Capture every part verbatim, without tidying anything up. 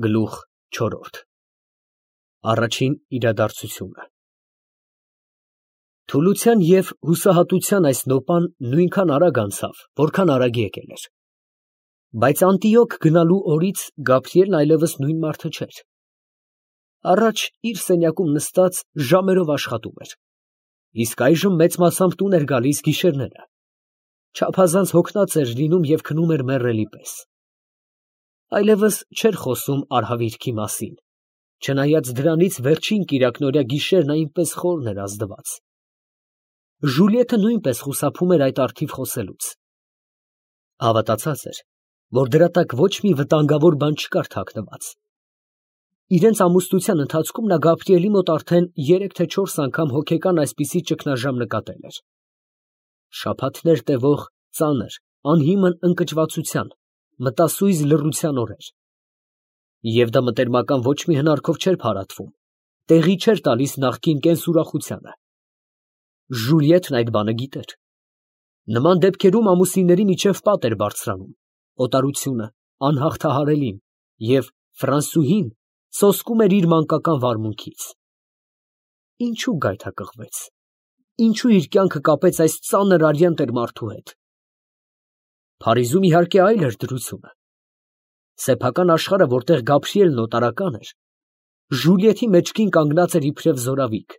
Գլուխ չորրորդ Առաջին իրադարձությունը Թուլության և հուսահատության այս նոպան նույնքան արագ անցավ, որքան արագ եկել էր. բայց Անտիոք գնալու օրից Գաբրիելն այլևս նույն մարդը չէր. առաջ իր սենյակում նստած ժամերով աշխատում էր, իսկ այժմ մեծ մասամբ տուն էր գալիս գիշերները, չափազանց հոգնած էր լինում և քնում էր մեռելի պես. այլևս չէր խոսում արհավիրքի մասին, չնայած դրանից վերջին կիրակնօրյա գիշերն այնպես խորն էր ազդված. Ժուլիետը նույնպես խուսափում էր այդ առթիվ խոսելուց. հավատացած էր, որ դրա տակ ոչ մի վտանգավոր բան չկար թաքնված. իրենց ամուսնության ընթացքում նա Գաբրիելի մոտ արդեն երեք թե չորս անգամ հոգեկան այսպիսի ճգնաժամ նկատել էր. շաբաթներ տևող ծանր, անհիմն ընկճվածության, մտասույզ լռության օրեր. և դա մտերմական ոչ մի հնարքով չէր փարատվում, տեղի չէր տալիս նախկին կենսուրախությանը. Ժուլիետն այդ բանը գիտեր. նման դեպքերում ամուսինների միջև պատ էր բարձրանում, օտարությունը, անհաղթահարելին, և Ֆրանսուհին սոսկում էր իր մանկական վարմունքից. ինչո՞ւ գայթակղվեց, ինչո՞ւ իր կյանքը կապեց այս ծանր արյան տեր֊մարդու հետ. Փարիզում իհարկե այլ էր դրությունը. սեփական աշխարհը, որտեղ Գաբրիելն օտարական էր, Ժուլիետի մեջքին կանգնած էր իբրև զորավիգ,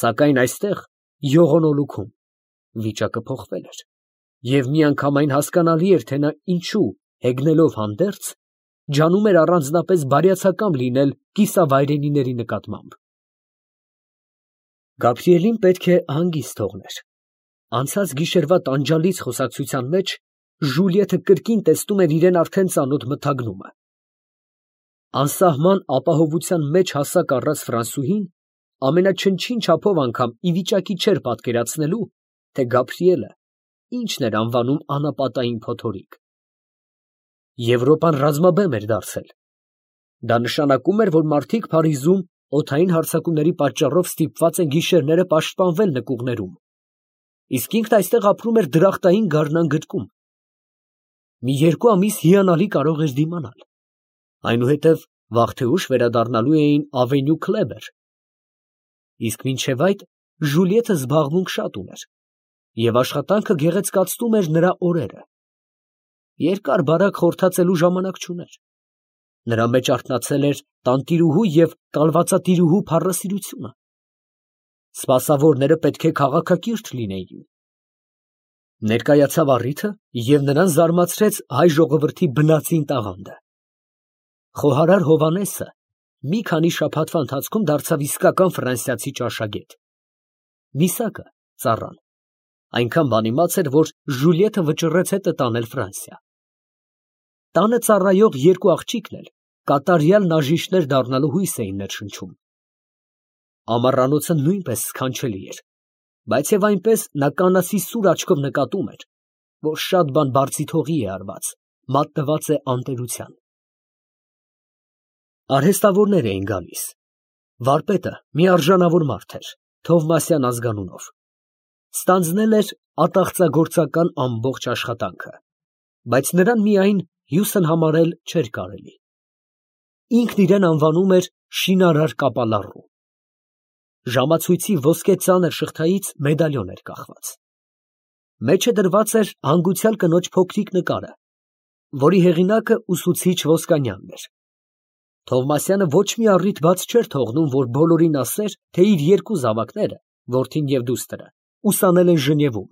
սակայն այստեղ, յողոնոլուքում, վիճակը փոխվել էր, և միանգամայն հասկանալի էր, թե նա ինչու, հեգնելով հանդերձ, ջանում էր առանձնապես բարյացակամ լինել կիսավայրենիների նկատմամբ. Գաբրիելին պետք է հանգիստ թողներ. անցած գիշերվա տանջալից խոսակցության մեջ Ժուլիետը կրկին տեսնում էր իրան արդեն ծանոթ մթագնումը. անսահման ապահովության մեջ հասակ առած Ֆրանսուհին ամենաչնչին չափով անգամ ի վիճակի չէր պատկերացնելու, թե Գաբրիելը ինչն էր անվանում անապատային փոթորիկ. Եվրոպան ռազմաբեմ էր դարձել. դա նշանակում էր, որ մարդիկ Փարիզում օդային հարձակումների պատճառով ստիպված են գիշերները պաշտպանվել նկուղներում, իսկ ինքն այստեղ ապրում էր դրախտային գարնան գրկում. մի երկու ամիս հիանալի կարող էր դիմանալ, այնուհետև վաղ թե ուշ վերադառնալու էին Ավենյու Քլեբեր, իսկ մինչև այդ Ժուլիետը զբաղմունք շատ ուներ, և աշխատանքը գեղեցկացնում էր նրա օրերը. երկար֊բարակ խորթացելու ժամանակ չուներ, նրա մեջ արթնացել էր տանտիրուհու և կալվածատիրուհու փառասիրությունը, սպասավորները պետք է քաղաքակիրթ լինեին. ներկայացավ առիթը և նրան զարմացրեց հայ ժողովրդի բնածին տաղանդը. խոհարար Հովհաննեսը մի քանի շաբաթվա ընթացքում դարձավ իսկական ֆրանսիացի ճաշագետ. Միսակը, ծառան, այնքան բանիմաց էր, որ Ժուլիետը վճռեց հետը տանել Ֆրանսիա. տանը ծառայող երկու աղջիկն էլ կատարյալ նաժիշտներ դառնալու հույս էին ներշնչում. ամառանոցը նույնպես սքանչելի էր, բայց և այնպես նա կանացի սուր աչքով նկատում էր, որ շատ բան բարձիթ հողի է արված, մատնված է անտերության. արհեստավորներ էին գալիս. վարպետը մի արժանավոր մարդ էր, Թովմասյան ազգանունով, ստանձնել էր ատաղծագործական ամբողջ աշխատանքը, բայց նրան միայն հյուսն համարել չէր կարելի. ինքն իրեն անվանում էր շինարար կապալառու. ժամացույցի ոսկե ծանր շղթայից մեդալյոն էր կախված. մեջը դրված էր հանգուցյալ կնոջ փոքրիկ նկարը, որի հեղինակը ուսուցիչ Ոսկանյանն էր. Թովմասյանը ոչ մի առիթ բաց չէր թողնում, որ բոլորին ասեր, թե իր երկու զավակները, որդին և դուստրը, ուսանել են Ժնևում.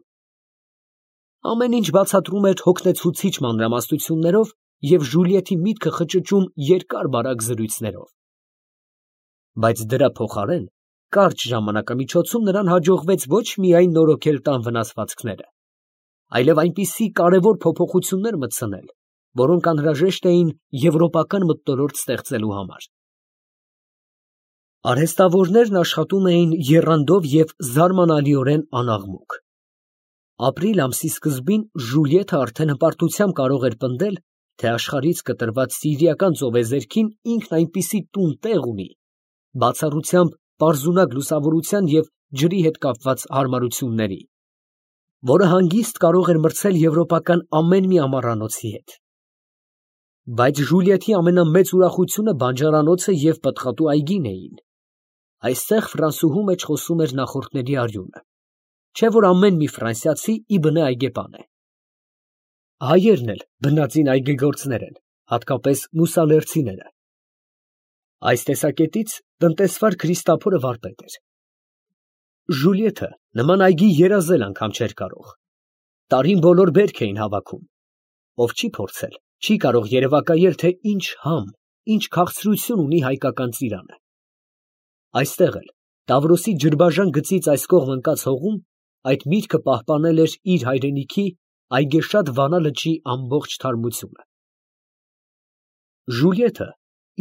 ամեն ինչ բացատրում էր հոգնեցուցիչ մանրամասնություններով և Ժուլիետի միտքը խճճում երկար֊բարակ զրույցներով. բայց դրա փոխարեն կարճ ժամանակամիջոցում նրան հաջողվեց ոչ միայն նորոգել տան վնասվածքները, այլև այնպիսի կարևոր փոփոխություններ մտցնել, որոնք անհրաժեշտ էին եվրոպական մթնոլորտ ստեղծելու համար. արհեստավորներն աշխատում էին եռանդով և զարմանալիորեն անաղմուկ. ապրիլ ամսի սկզբին Ժուլիետը արդեն հպարտությամբ կարող էր պնդել, թե աշխարհից կտրված սիրիական ծովեզերքին ինքն այնպիսի տուն տեղ ունի, բացառությամբ պարզունակ լուսավորության և ջրի հետ կապված հարմարությունների, որը հանգիստ կարող էր մրցել եվրոպական ամեն մի ամառանոցի հետ. Բայց Ժուլիետի ամենամեծ ուրախությունը բանջարանոցը և պտղատու այգին էին. այստեղ ֆրանսուհու մեջ խոսում էր նախորդների արյունը, չէ՞ որ ամեն մի ֆրանսիացի ի բնե այգեպան է։ Հայերն էլ բնածին այգեգործներ են, հատկապես մուսալերցիները։ Այս տեսակետից տնտեսվար Քրիստափորը վարպետ էր։ Ժուլիետը նման այգի երազել անգամ չէր կարող։ Տարին բոլոր բերք էին հավաքում։ Ով չի փորձել, չի կարող երևակայել, թե ինչ համ, ինչ քաղցրություն ունի հայկական ծիրանը։ Այստեղ էլ, Տավրոսի ջրբաժան գծից այս կողմ ընկած հողում, այդ միտքը պահպանել էր իր հայրենիքի այգեշատ Վանա լճի ամբողջ թարմությունը։ Ժուլիետը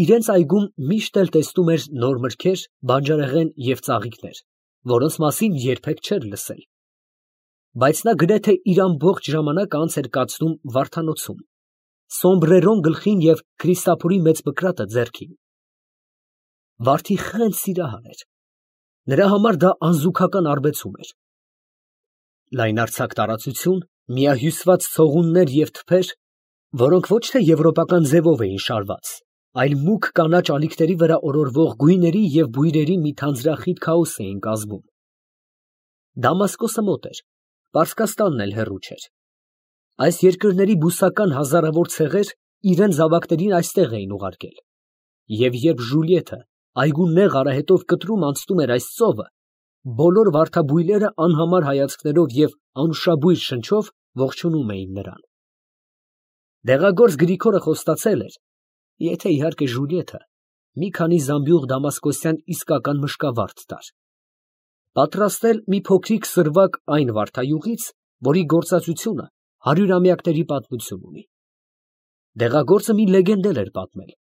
իրենց այգում միշտ էլ տեսնում էր նոր մրգեր, բանջարեղեն և ծաղիկներ, որոնց մասին երբեք չէր լսել։ Բայց նա գրեթե իր ամբողջ ժամանակը անց էր կացնում վարդանոցում, սոմբրերոն գլխին և Քրիստափորի մեծ բկրատը ձեռքին։ Վարդի խենթ սիրահար էր։ Նրա համար դա անզուգական արբեցում էր։ Լայնարձակ տարածություն, միահյուսված ցողուններ և թփեր, որոնք ոչ թե եվրոպական ձևով էին շարված, այլ մուգ կանաչ ալիքների վրա օրորվող գույների և բույրերի մի թանձրախիտ քաոս էին կազմում։ Դամասկոսը մոտ էր, Պարսկաստանն էլ հեռու չէր։ Այս երկրների բուսական հազարավոր ցեղեր իրենց զավակներին այստեղ էին ուղարկել։ Եվ երբ Ժուլիետը այգու նեղ արահետով կտրում անցնում էր այս ծովը, բոլոր վարդաբույլերը անհամար հայացքներով և անուշաբույր շնչով ողջունում էին նրան։ Դեղագործ Գրիգորը խոստացել էր, եթե իհարկե Ժուլիետը մի քանի զամբյուղ դամասկոսյան իսկական մշկավարդ տար, պատրաստել մի փոքրիկ սրվակ այն վարդայուղից, որի գործածությունը հարյուրամյակների պատմություն ունի։ Դեղագործը մի լեգենդ էլ էր պատմել։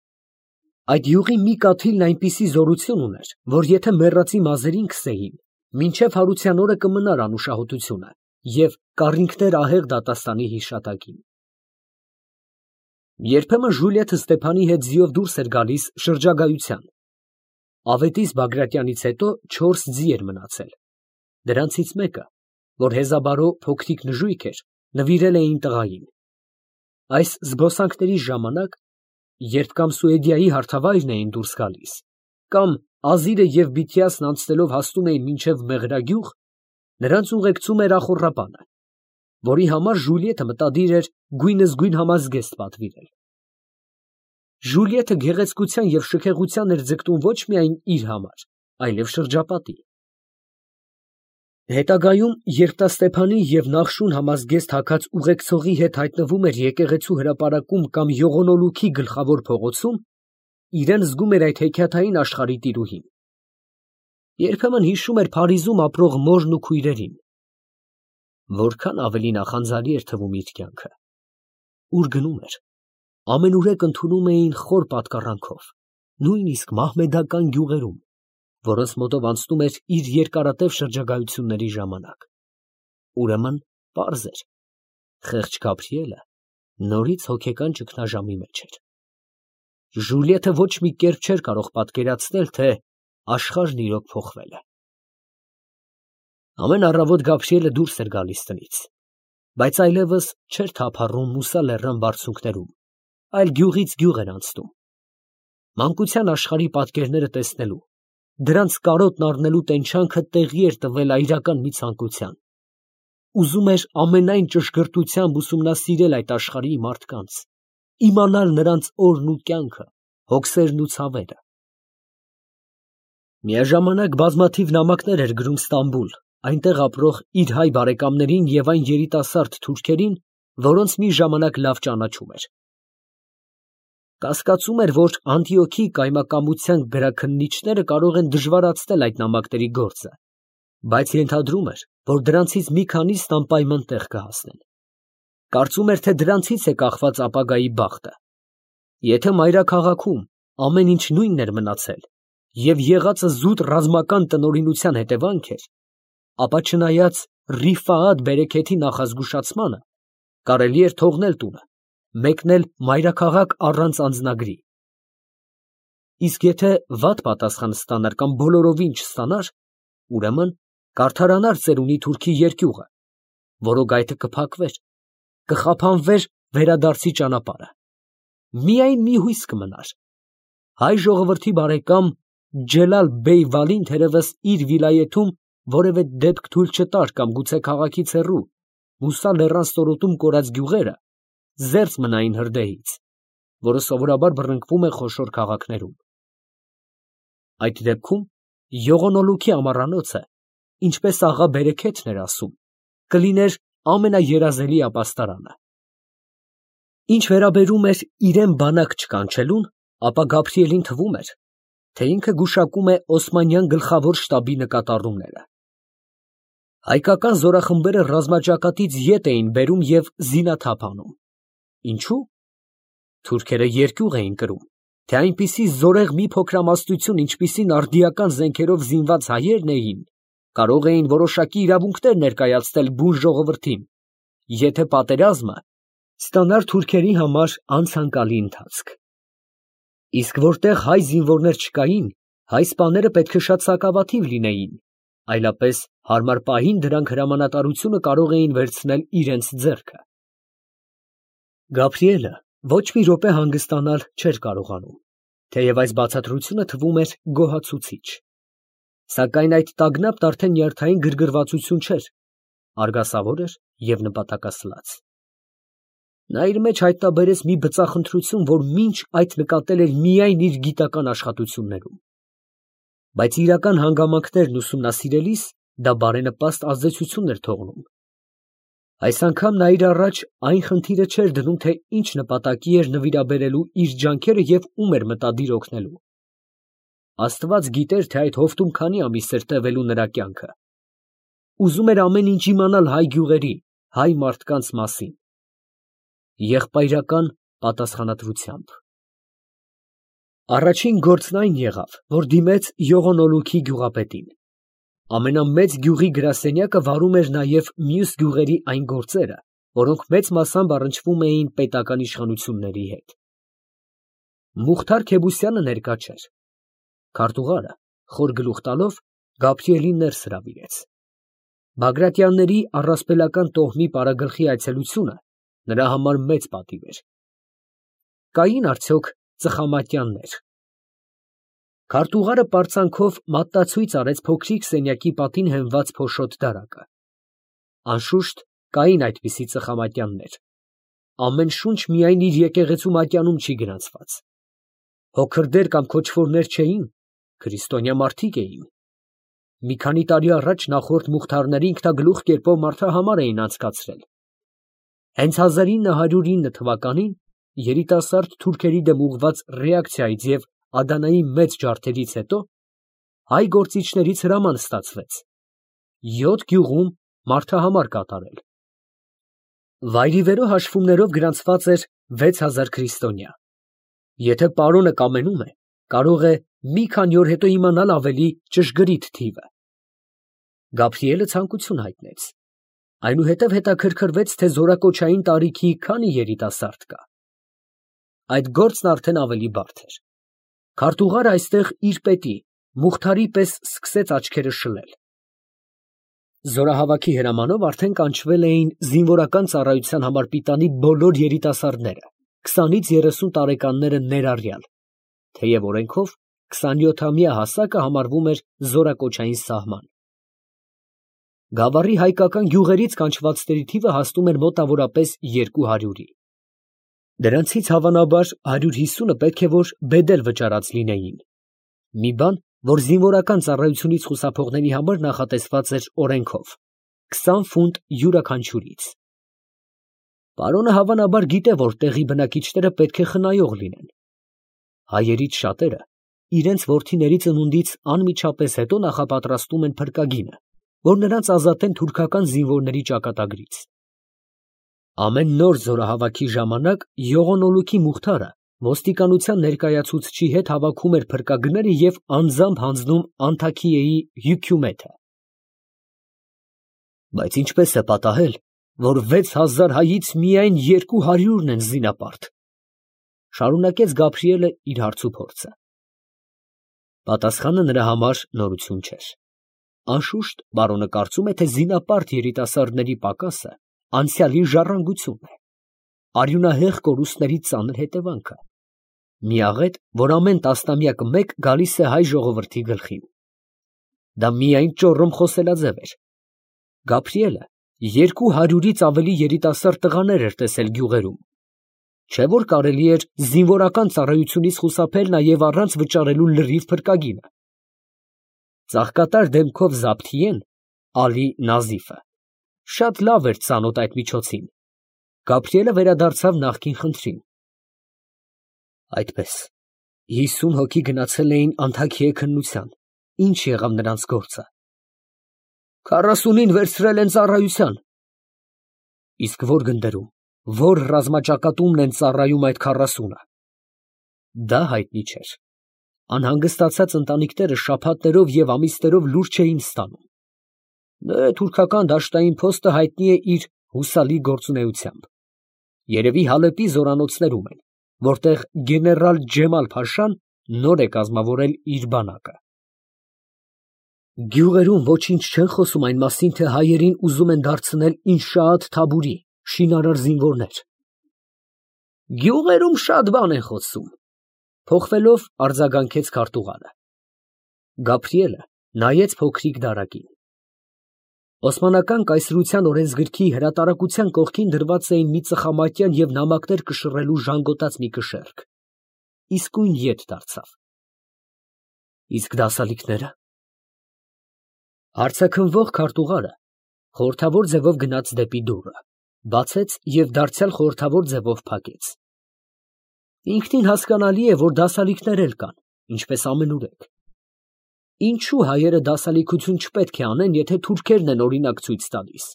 Այդ յուղի մի կաթիլն այնպիսի զորություն ուներ, որ եթե մեռածի մազերին քսեին, մինչև հարության օրը կմնար անուշահոտությունը և կառինգներ ահեղ դատաստանի հիշատակին։ Երբեմն Ժուլիետը Ստեփանի հետ ձիով դուրս էր գալիս շրջագայության։ Ավետիս Բագրատյանից հետո չորս ձի էր մնացել։ Դրանցից մեկը, որ հեզաբարո փոքրիկ նժույգ էր, նվիրել էին տղային։ Այս զբոսանքների ժամանակ, երբ կամ Սուեդիայի հարթավայրն էին դուրս գալիս, կամ Ազիրը և Բիթիասն անցնելով հասնում էին մինչև Մեղրագյուղ, նրանց ուղեկցում էր ախոռապանը, որի համար Ժուլիետը մտադիր էր գույնզգույն համազգեստ պատվիրել։ Ժուլիետը գեղեցկության և շքեղության էր ձգտում ոչ միայն իր համար, այլև շրջապատի։ Հետագայում, երբ նա Ստեփանի և Նախշուն համազգեստ հագած ուղեկցողի հետ հայտնվում էր եկեղեցու հրապարակում կամ Յողոնոլուքի գլխավոր փողոցում, իրան զգում էր այդ հեքիաթային աշխարհի տիրուհին։ Երբեմն հիշում էր Փարիզում ապրող մորն ու քույրերին։ Որքան ավելի նախանձելի էր թվում իր կյանքը։ Ուր գնում էր, ամենուրեք ընդունում էին խոր պատկառանքով, նույնիսկ մահմեդական գյուղերում, որոնց մոտով անցնում էր իր երկարատև շրջագայությունների ժամանակ։ Ուրեմն պարզ էր, խեղճ Գաբրիելը նորից հոգեկան ճգնաժամի մեջ էր։ Ժուլիետը ոչ մի կերպ չէր կարող պատկերացնել, թե աշխարհն իրոք փոխվել է։ Ամեն առավոտ Գաբրիելը դուրս էր գալիս տնից, բայց այլևս չէր թափառում Մուսա լեռան բարձունքներում, այլ գյուղից գյուղ էր անցնում։ Մանկության աշխարհի պատկերները տեսնելու, դրանց կարոտն առնելու տենչանքը տեղի էր տվել այրական մի ցանկության։ Ուզում էր ամենայն ճշգրտությամբ ուսումնասիրել այդ աշխարհի մարդկանց, իմանալ նրանց օրն ու կյանքը, հոգսերն ու ցավերը։ Միաժամանակ բազմաթիվ նամակներ էր գրում Ստամբուլ, այնտեղ ապրող իր հայ բարեկամներին և այն երիտասարդ թուրքերին, որոնց մի ժամանակ լավ ճանաչում էր։ Կասկածում էր, որ Անտիոքի կայմակամության գրաքննիչները կարող են դժվարացնել այդ նամակների գործը, բայց ենթադրում էր, որ դրանցից մի քանիսն անպայման տեղ կհասնեն։ Կարծում էր, թե դրանցից է կախված ապագայի բախտը։ Եթե մայրաքաղաքում ամեն ինչ նույնն էր մնացել և եղածը զուտ ռազմական տնօրինության հետևանք էր, ապա չնայած Ռիֆաաթ բերեքեթի նախազգուշացմանը, կարելի էր թողնել տունը, մեկնել մայրաքաղաք առանց անձնագրի։ Իսկ եթե վատ պատասխան ստանար կամ բոլորովին չստանար, ուրեմն կարդարանար ծերունի թուրքի երկյուղը, որոգայթը կփակվեր, կխափանվեր վերադարձի ճանապարհը։ միայն մի հույս կմնար։ Հայ ժողովրդի բարեկամ Ջելալ֊բեյ Վալին թերևս իր վիլայեթում որևէ դեպք թույլ չտար կամ գուցե քաղաքից հեռու, Մուսա լեռան ստորոտում կորած գյուղերը զերծ մնային հրդեհից, որը սովորաբար բռնկվում է խոշոր քաղաքներում։ Այդ դեպքում յողոնոլուքի ամառանոցը, ինչպես աղա Բերեքեթն էր ասում, կլիներ ամենաերազելի ապաստարանը։ Ինչ վերաբերում էր իրան բանակ չկանչելուն, ապա Գաբրիելին թվում էր, թե ինքը գուշակում է Օսմանյան գլխավոր շտաբի նկատառումները։ Հայկական զորախմբերը ռազմաճակատից ետ էին բերում և զինաթափ անում։ Ինչու՞։ Թուրքերը երկյուղ էին կրում, թե այնպիսի զորեղ մի փոքրամասնություն, ինչպիսին արդիական զենքերով զինված հայերն էին, կարող էին որոշակի իրավունքներ ներկայացնել բուն ժողովրդին, եթե պատերազմը ստանար թուրքերի համար անցանկալի ընթացք։ Իսկ որտեղ հայ զինվորներ չկային, հայ սպաները պետք է շատ սակավաթիվ լինեին, այլապես հարմար պահին դրանք հրամանատարությունը կարող էին վերցնել իրենց ձեռքը։ Գաբրիելը ոչ մի րոպե հանգստանալ չէր կարողանում, թեև այս բացատրությունը թվում էր գոհացուցիչ։ Սակայն այդ տագնապն արդեն նյարդային գրգռվածություն չէր, արգասավոր էր և նպատակասլաց։ Նա իր մեջ հայտնաբերեց մի բծախնդրություն, որ մինչ այդ նկատել էր միայն իր գիտական աշխատություններում։ Բայց իրական հանգամանքներն ուսումնասիրելիս դա բարենպաստ ազդեցություն էր թողնում։ Այս անգամ նա իր առաջ այն խնդիրը չէր դնում, թե ինչ նպատակի էր նվիրաբերելու իր ջանքերը և ում էր մտադիր օգնելու։ Աստված գիտեր, թե այդ հովտում քանի ամիս էր տևելու նրա կյանքը։ Ուզում էր ամեն ինչ իմանալ հայ գյուղերի, հայ մարդկանց մասին։ Եղբայրական պատասխանատվությամբ։ Առաջին գործն այն եղավ, որ դիմեց Յողոնոլուքի գյուղապետին։ Ամենամեծ գյուղի գրասենյակը վարում էր նաև մյուս գյուղերի այն գործերը, որոնք մեծ մասամբ առնչվում էին պետական իշխանությունների հետ։ Մուխթար Քեբուսյանը ներկա չէր։ Քարտուղարը, խոր գլուխ տալով, Գաբրիելին ներս հրավիրեց։ Բագրատյանների առասպելական տոհմի պարագլխի այցելությունը նրա համար մեծ պատիվ էր։ Կային արդյոք ծխամատյաններ։ Քարտուղարը պարծանքով մատնացույց արեց փոքրիկ սենյակի պատին հենված փոշոտ դարակը։ Անշուշտ կային այդպիսի ծխամատյաններ։ Ամեն շունչ միայն իր եկեղեցու մատյանում չի գրանցված։ Հոգրդեր կամ քոչվորներ չէին, քրիստոնյա մարդիկ էին։ Մի քանի տարի առաջ նախորդ մուխթարները ինքնագլուխ կերպով մարդահամար էին անցկացրել։ Հենց հազար ինը հարյուր ինը թվականին երիտասարդ թուրքերի դեմ ուղղված ռեակցիայից և Ադանայի մեծ ջարդերից հետո հայ գործիչներից հրաման ստացվեց յոթ գյուղում մարդահամար կատարել։ Վայրիվերո հաշվումներով գրանցված էր վեց հազար քրիստոնյա։ Եթե պարոնը կամենում է, կարող է մի քանի օր հետո իմանալ ավելի ճշգրիտ թիվը։ Գաբրիելը ցանկություն հայտնեց։ Այնուհետև հետաքրքրվեց, թե զորակոչային տարիքի քանի երիտասարդ կա։ Այդ գործն արդեն ավելի բարդ էր։ Քարտուղարը այստեղ իր պետի, Մուխթարի պես սկսեց աչքերը շլել։ Զորահավաքի հրամանով արդեն կանչվել էին զինվորական ծառայության համար պիտանի բոլոր երիտասարդները, քսանից երեսուն տարեկանները ներառյալ, թեև օրենքով քսանյոթամյա հասակը համարվում էր զորակոչային սահման։ Գավառի հայկական գյուղերից կանչվածների թիվը հասնում էր մոտավորապես երկու հարյուրի։ Դրանցից հավանաբար հարյուր հիսունը պետք է որ բեդել վճարած լինեին։ Մի բան, որ զինվորական ծառայությունից խուսափողների համար նախատեսված էր օրենքով, քսան ֆունտ յուրաքանչյուրից։ Պարոնը հավանաբար գիտե, որ տեղի բնակիչները պետք է խնայող լինեն։ Հայերից շատերը իրենց որդիների ծնունդից անմիջապես հետո նախապատրաստում են փրկագինը, որ նրանց ազատեն թուրքական զինվորների ճակատագրից։ Ամեն նոր զորահավաքի ժամանակ Յողոնոլուքի Մուխթարը ոստիկանության ներկայացուցչի հետ հավաքում էր փրկագները և անձամբ հանձնում Անթաքիեի հյուքյումեթը։ Բայց ինչպես է պատահել, որ վեց հազար հայից միայն երկու հարյուրն են զինապարտ, շարունակեց Գաբրիելը իր հարցուփորձը։ Պատասխանը նրա համար նորություն չէր։ Անշուշտ, բարոնը կարծում է, թե զինապարտ երիտասարդների պակասը անցյալի ժառանգությունն է։ արյունահեղ կորուստների ծանր հետևանքը, միաղետ, որ ամեն տասնամյակը մեկ գալիս է հայ ժողովրդի գլխին։ Դա միայն ճոռոմ խոսելաձև էր։ Գաբրիելը երկու հարյուրից ավելի երիտասարդ տղաներ էր տեսել գյուղերում, չէ՞ որ կարելի էր զինվորական ծառայությունից խուսափել նաև առանց վճարելու լրիվ փրկագինը։ Ծաղկատար դեմքով Զաբթիեն, Ալի Նազիֆը, շատ լավ էր ծանոթ այդ միջոցին։ Գաբրիելը վերադարձավ նախկին խնդրին։ Այդպես, հիսուն հոգի գնացել էին Անթաքիեի քննության, ի՞նչ եղավ նրանց գործը։ Քառասունին վերցրել են ծառայության։ Իսկ ո՞ր գնդերում, ո՞ր ռազմաճակատումն են ծառայում այդ քառասունը։ Դա հայտնի չէր։ Անհանգստացած ընտանիքները շաբաթներով և ամիսներով լուր չէին ստանում։ Դե, թուրքական դաշտային փոստը հայտնի է իր հուսալի գործունեությամբ։ Երևի Հալեպի զորանոցներում են, որտեղ գեներալ Ջեմալ֊փաշան նոր է կազմավորել իր բանակը։ Գյուղերում ոչինչ չեն խոսում այն մասին, թե հայերին ուզում են դարձնել Ինշաատ Թաբուրի շինարար զինվորներ։ Գյուղերում շատ բան են խոսում, փոխվելով արձագանքեց քարտուղարը։ Գաբրիելը նայեց փոքրիկ դարակին։ Օսմանական կայսրության օրենսգրքի հրատարակության կողքին դրված էին մի ծխամատյան և նամակներ կշռելու ժանգոտած մի կշեռք։ Իսկույն ետ դարձավ։ Իսկ դասալիքները։ Հարցաքննվող քարտուղարը խորհրդավոր ձևով գնաց դեպի դուռը, բացեց և դարձյալ խորհրդավոր ձևով փակեց։ Ինքնին հասկանալի է, որ դասալիքներ էլ կան, ինչպես ամենուրեք։ Ինչու հայերը դասալիքություն չպետք է անեն, եթե թուրքերն են օրինակ ցույց տալիս։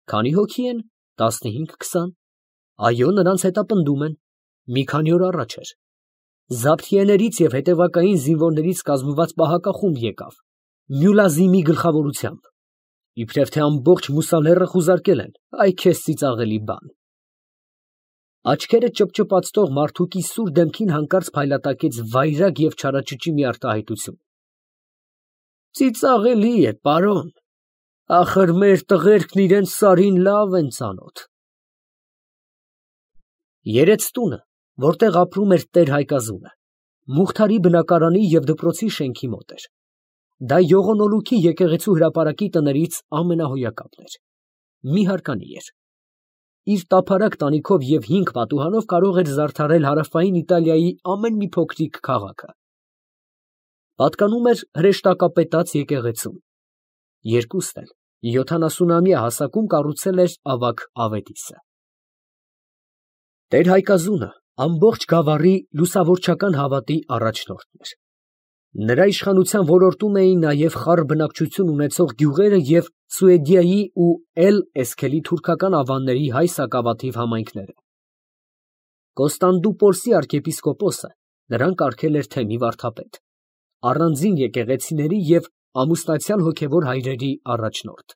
Քանի հոգի են, տասնհինգ, քսան։ Այո, նրանց հետապնդում են։ Մի քանի օր առաջ էր։ Զաբթիեներից և հետևակային զինվորներից կազմված պահակախումբ եկավ, Մյուլազիմի գլխավորությամբ։ Իբրև թե ամբողջ Մուսալեռը խուզարկել են, այ քեզ ծիծաղելի բան։ Աչքերը ճպճպացնող մարդուկի սուր դեմքին հանկարծ փայլատակեց վայրագ և չարաճճի մի արտահայտություն։ Ծիծաղելի է, պարոն, ախր մեր տղերքն իրենց սարին լավ են ծանոթ։ Երեցտունը, որտեղ ապրում էր տեր Հայկազունը, Մուղթարի բնակարանի և դպրոցի շենքի մոտ էր։ Դա Յողոնոլուքի եկեղեցու հրապարակի տներից ամենահոյակապն էր։ Մի հարկանի էր։ Իր տափարակ տանիքով և հինգ պատուհանով կարող էր զարդարել հարավային Իտալիայի ամեն մի փոքրիկ քաղաքը։ Պատկանում էր հրեշտակապետած եկեղեցուն։ Երկուստ էլ յոթանասունամյա հասակում կառուցել էր ավագ Ավետիսը։ Տեր Հայկազունը ամբողջ գավառի լուսավորչական հավատի առաջնորդն էր։ Նրա իշխանության ոլորտում էին նաև խառ բնակչություն ունեցող գյուղերը և Սուեդիայի ու Էլ֊Էսքելի թուրքական ավանների հայ սակավաթիվ համայնքները։ Կոստանդնուպոլսի արքեպիսկոպոսը նրան կարգել էր թեմի վարդապետ, առանձին եկեղեցիների և ամուսնացյալ հոգևոր հայրերի առաջնորդ։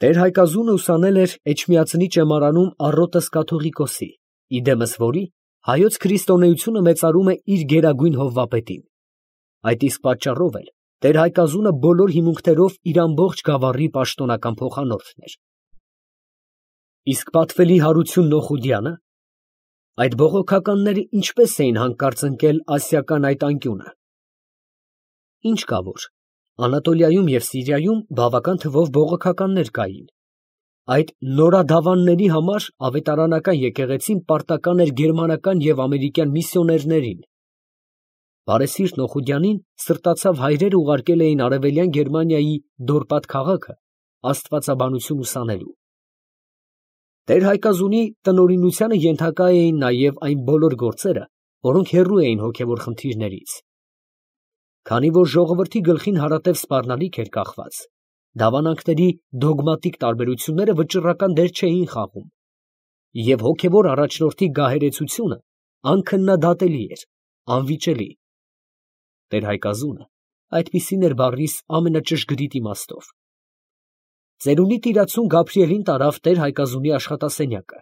Տեր Հայկազունը ուսանել էր Էջմիածնի ճեմարանում Առոտես կաթողիկոսի, իդեմս որի հայոց քրիստոնեությունը մեծարում է իր գերագույն հովվապետին։ Այդ իսկ պատճառով էլ Տեր Հայկազունը բոլոր հիմունքներով իր ամբողջ գավառի պաշտոնական փոխանորդն էր։ Իսկ պատվելի Հարություն Նոխուդյանը, այդ բողոքականները ինչպես էին հանկարծ ընկել ասիական այդ անկյունը։ Ինչ կա որ, Անատոլիայում և Սիրիայում բավական թվով բողոքականներ կային։ Այդ նորադավանների համար ավետարանական եկեղեցին պարտական էր գերմանական և ամերիկյան միսիոներներին։ Բարեսիրտ Նոխուդյանին սրտացավ հայրեր ուղարկել էին Արևելյան Գերմանիայի Դորպատ քաղաքը աստվածաբանություն ուսանելու։ Տեր Հայկազունի տնօրինությանը ենթակա էին նաև այն բոլոր գործերը, որոնք հեռու էին հոգևոր խնդիրներից։ Քանի որ ժողովրդի գլխին հարատև սպառնալիք էր կախված, դավանանքների դոգմատիկ տարբերությունները վճռական դեր չէին խաղում, և հոգևոր առաջնորդի գահերեցությունը անքննադատելի էր, անվիճելի։ Տեր Հայկազունը այդպիսին էր բառիս ամենաճշգրիտ իմաստով։ Ծերունի տիրացուն Գաբրիելին տարավ Տեր Հայկազունի աշխատասենյակը։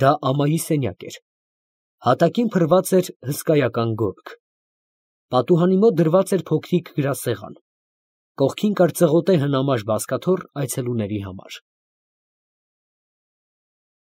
Դա ամայի սենյակ էր։ Հատակին փռված էր հսկայական գորգ։ Պատուհանի մոտ դրված էր փոքրիկ գրասեղան։ Կողքին կար ծղոտե հնամաշ բազկաթոռ այցելուների համար։